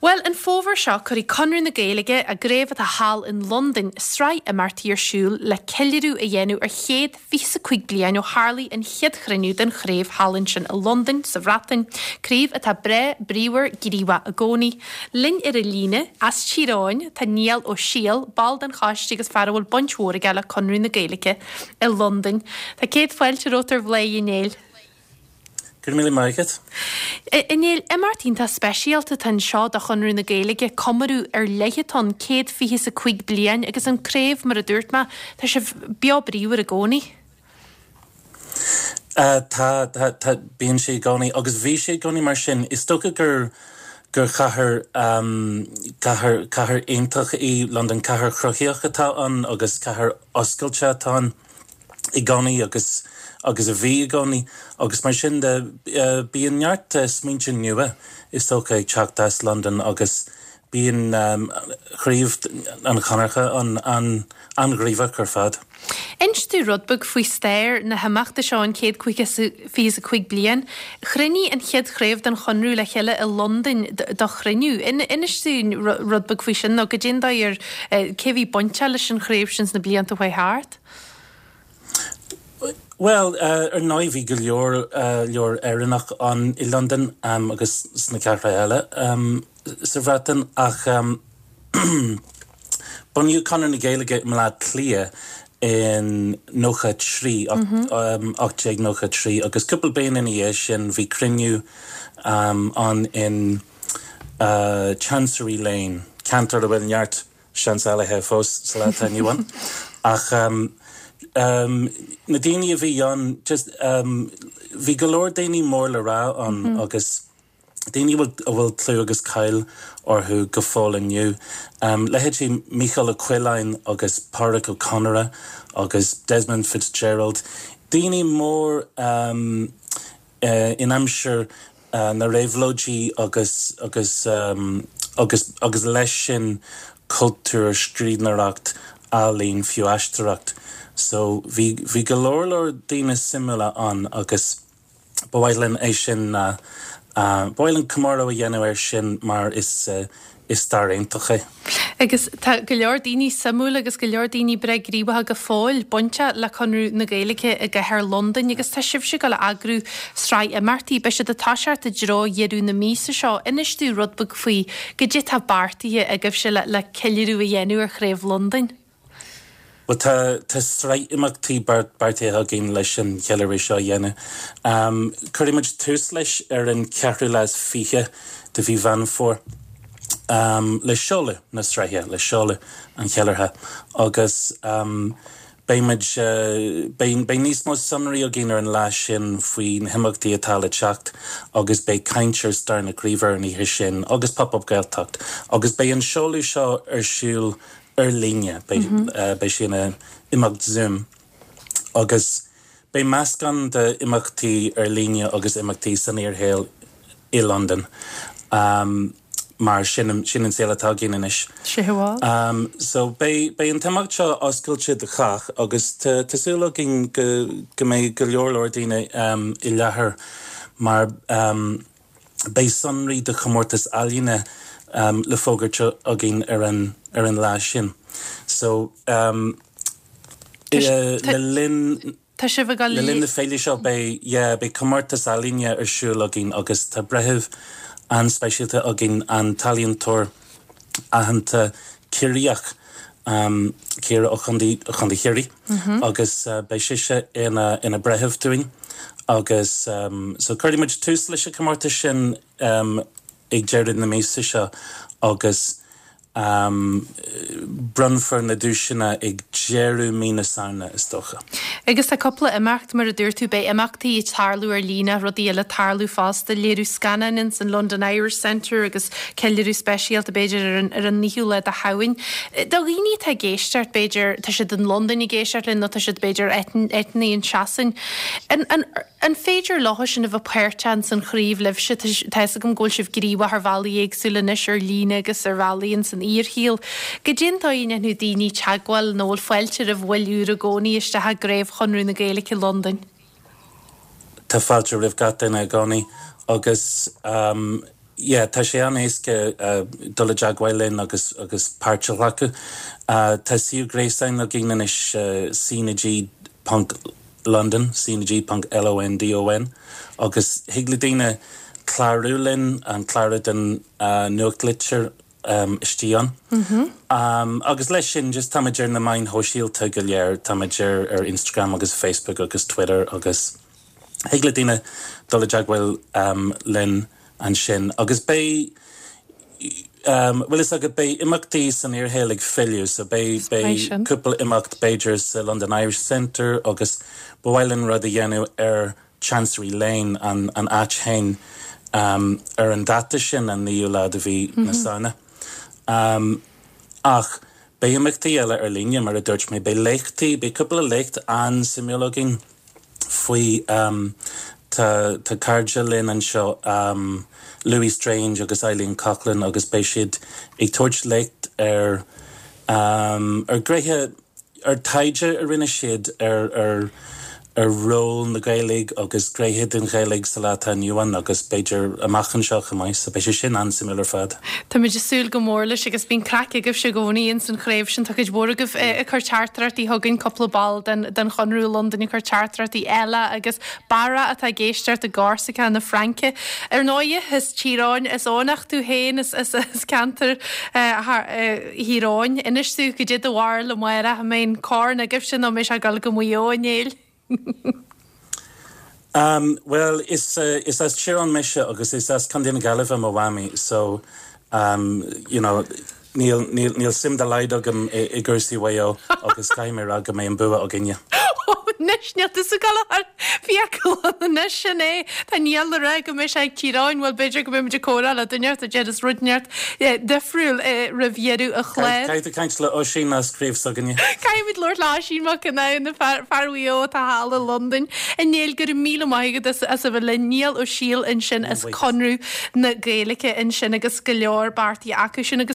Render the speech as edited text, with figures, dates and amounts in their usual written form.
Bhuel, an fómhar seo, cuirfidh Conradh na Gaeilge, a gcraobh atá thall in Londain, sraith imeachtaí ar siúl le ceiliúradh a dhéanamh ar chéad fiche 's a 5 bliain ó tharlaigh an chéad chruinniú den chraobh thall ansin i Londain, sa Bhreatain, craobh atá breá, bríomhar, gníomhach i gcónaí. Linn ar an líne, as Tír Eoghain, tá Niall Ó Siadhail, ball den choiste agus fear a bhfuil baint mhór aige le Conradh na Gaeilge i Londain. Tá céad fáilte romhat ar Bhladhaire, a Néill. Go raibh míle maith agat. A Néill, imeacht iontach speisialta atá anseo do Chonradh na Gaeilge, comóradh ar leith atá ann, céad fiche is a cúig bliain agus an craobh, mar a dúirt mé, tá sibh beo bríomhar i gcónaí. Tá, tá, tá, bíonn sé i gcónaí agus bhí sé i gcónaí mar sin. Is dócha gur, gur chathair, cathair, cathair iontach í Londain, cathair chruthaíoch atá ann agus cathair oscailte atá ann. i gcónaí agus agus a bhí i gcónaí agus mar sin de bíonn neart smaointe nua is dócha ag teacht as Londain agus bíonn craobh an Chonartha an an-ghníomhach ar fad. Inis dúinn rud beag faoi stair na himeachta seo an chéad fiche is a cúig bliain. Chruinnigh an chéad chraobh den Chonradh le chéile i Londain do chruinniú. Inis dúinn rud beag faoi sin nó goidé an dóigh ar cé a bhí bainteach leis an chraobh sin sna blianta a chuaigh thart. Bhuel, ar ndóigh bhí go leor leor Éireannach ann i Londain agus sna cathracha eile sa Bhreatain ach bunaíodh Conradh na Gaeilge i mBleá Cliath in 93, 1893 agus cúpla bliain ina dhiaidh sin bhí cruinniú ann in Chancery Lane, ceantar a bhfuil neart seansálaithe fós sa lá atá inniu ann. Ach na daoine a bhí ann, just bhí go leor daoine mór le rá ann agus daoine a bhfuil clú agus cáil orthu go fóill inniu. Leithéidí Mícheál Ó Coileáin agus Pádraic Ó Conaire agus Desmond Fitzgerald, daoine mór in aimsir na réabhlóidí agus agus agus agus leis sin cultúr, scríbhneoireacht, ealaín, fiú aisteoireacht. So bhí bhí go leor leor daoine suimiúla ann agus ba mhaith linn é sin ba mhaith linn comóradh a dhéanamh air sin mar is Is stair iontach é. Agus tá go leor daoine suimiúil agus go leor daoine breá gníomhach go fóill bainteach le Conradh na Gaeilge i gcathair Londain agus tá sibhse ag dul a eagrú sraith imeachtaí. Beidh siad ag toiseacht i dtreo dheireadh na míosa seo. Inis dúinn rud beag faoi goidé atá beartaithe agaibhse le ceiliúradh a dhéanamh ar Chraobh Londain. Bhuel, tá, tá sraith imeachtaí beartaithe againn leis an cheiliúradh seo a dhéanamh. Cuirfidh muid tús leis ar an cheathrú lá is fiche de mhí Mheán Fómhair le seoladh na sraithe, le seoladh an cheiliúrtha agus beidh muid, beidh, beidh níos mó sonraí againn ar an lá sin faoi na himeachtaí atá le teacht agus beidh caint ar stair na craoibhe ar an oíche sin agus Pop Up Gaeltacht agus beidh an seoladh seo ar siúl ar líne, beidh sé ina imeacht Zoom agus beidh meascán de imeachtaí ar líne agus imeachtaí san fhíorshaol i Londain mar sin sin an saol atá againn anois. So beidh beidh an t-imeacht seo oscailte do chách agus tá tá súil againn go go mbeidh go leor leor daoine i láthair mar Beidh sonraí do chomórtas ealaíne le fógairt againn ar an ar an lá sin. So le linn Tá sibh ag le linn na féile seo beidh yeah beidh comórtas ealaíne ar siúl againn agus tá breitheamh an-speisialta againn, an t-ealaíontóir aitheanta Ciarraíoch, Ciara ó Chontae Chontae Chiarraí agus beidh sise ina ina breitheamh dúinn agus so cuirfidh muid tús leis an chomórtas sin ag deireadh na míosa seo agus bronnfar na duaiseanna ag deireadh mí na Samhna is dócha. Agus tá cúpla imeacht, mar a dúirt tú, beidh imeachtaí ag tarlú ar líne, rudaí eile ag tarlú fosta, léiriú scannáin ins an London Irish Centre agus ceiliúradh speisialta b'fhéidir ar an ar an naoú lá de Shamhain. Do dhaoine atá ag éisteacht, b'fhéidir, tá siad in Londain ag éisteacht linn nó tá siad b'fhéidir áiteanna i Sasain, an an an féidir leo sin a bheith páirteach ins an chraobh libhse? Tá tá fhios agam go bhfuil sibh gníomhach ar bhealaí éagsúla anois ar líne agus ar bhealaí ins an fhíorshaol. Goidé an dóigh a ndéanfadh daoine teagmháil nó bhfuil fáilte roimh bhaill úra i gcónaí isteach i gcraobh Chonradh na Gaeilge i Londain? Tá fáilte roimh gach duine i gcónaí agus. Yeah, tá sé an-éasca dul i dteagmháil linn agus agus páirt a ghlacadh. Tá suíomh gréasáin againn anois, cnag ponc London, cnag ponc LONDON, agus thig le daoine clárú linn, an clárú don nuachtlitir istigh ann. Agus leis sin, just táimid ar na meáin shóisialta go léir, táimid ar ar Instagram agus Facebook agus Twitter agus. Thig le daoine dul i dteagmháil linn ansin agus beidh, bhfuil fhios agat, beidh imeachtaí san fhíorshaol ag filleadh so beidh, beidh cúpla imeacht b'fhéidir sa London Irish Centre agus ba mhaith linn rud a dhéanamh ar Chancery Lane, an, an áit féin, ar an dáta sin, an 9ú lá de mhí na Samhna. Ach beidh imeachtaí eile ar líne, mar a dúirt mé, beidh léachtaí, beidh cúpla léacht an-suimiúil againn. faoi tá tá cairde linn anseo Louis Strange agus Eileen Coughlan agus beidh siad ag tabhairt léacht ar ar ghnéithe ar taighde a rinne siad ar ar ar ról na Gaeilge agus gnéithe den Ghaeilge sa lá atá inniu ann agus b'fhéidir amach anseo chomh maith so beidh sé sin an-suimiúil ar fad. Táimid ag súil go mór leis agus bíonn craic agaibhse i gcónaí ins an chraobh sin. Tá cuid mhór agaibh ag cur teachtaireachtaí chugainn, cúpla ball den den Chonradh i Londain ag cur teachtaireachtaí eile agus Barra atá ag éisteacht i gCorsica na Fraince. Ar ndóighe, as Tír Eoghain, as Eoghanacht tú féin, as as as ceantar Thír Eoghain. Inis domh, goidé do bharúil amárach, an mbeidh an corn agaibhse nó an mbeidh sé ag dul go Maigh Eo, a Néill? Um, bhuel, is, is as Tír Eoghain mise agus is as Contae na Gaillimhe mo mhamaí, so, um, you know, níl, níl, níl suim dá laghad agam i, i gcúrsaí Mhaigh Eo agus caithfidh mé a rá go mbeidh an bua againne. Anois, níl tusa ag dul a chur fiacail ann anois, sin é. Tá Niall ag rá go mbeidh sé ag Tír Eoghain, bhuel, b'fhéidir go mbeidh muid ag comhrá le duine inteacht a déarfas rud inteacht difriúil roimh dheireadh an chláir. Caithfidh tú caint le Oisín as craobh s'againne. Caithfimid labhairt le Oisín Mac Conamhain, fear Mhaigh Eo atá thall i Londain. A Néill, go raibh míle maith agat as as a bheith linn. Niall Ó Siail ansin as Conradh na Gaeilge ansin agus go leor beartaithe acu sin agus.